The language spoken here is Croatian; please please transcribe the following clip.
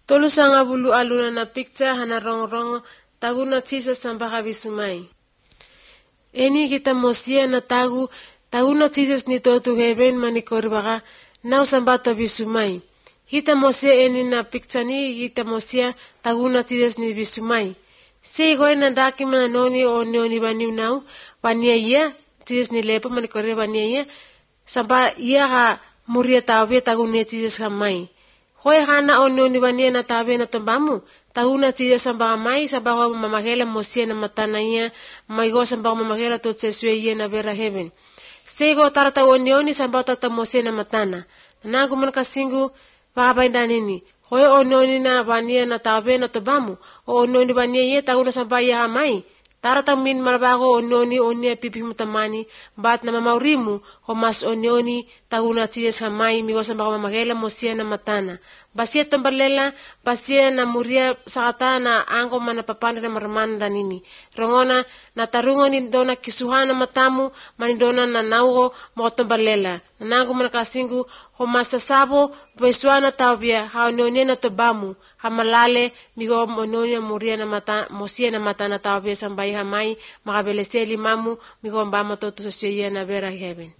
Tolu sanga bulu aluna na picture hana rongo taguna Jesus sambaka visumai. Eni kita mosia na taguna Jesus ni to heaven manikori baka nau sambata visumai. Kita mosia eni na picture ni kita mosia taguna Jesus ni visumai. Sei goy na daki mana noni o noni bani nau bania ia Jesus ni lepo manikori bania ia samba ia ha muria tawe taguna Jesus kamai. Hoy hana o noni bania na tawe na tombamu taguna Jesus samba mai samba ho mamagela mosia na matana ia maigo samba mamagela to tseswe ia na vera heaven. Sei go tarata o noni samba tata mosia na matana. Nangu man kasingu baba nini. Hoy o noni na bania na tawe na tombamu o noni bania ia taguna samba ia mai. Tarata min malabago o noni onia pipi mutamani bat na mamaurimu o mas o noni taguna Jesus kamai migo samba mamagela mosia na matana. Basia tombalela, basia na muria sakata na ango mana papanda na maramanda nini. Rongona na tarungo ni dona kisuhana matamu, manidona na naugo mo tombalela. Nanango mana kasingu, ho masasabo, besuana tawbia, hao nyonia na tobamu, hamalale, migo mononia muria na mata, mosia na mata na tawbia sambai hamai, makabeleseli mamu, migo mbama totu sa siya na vera heaven.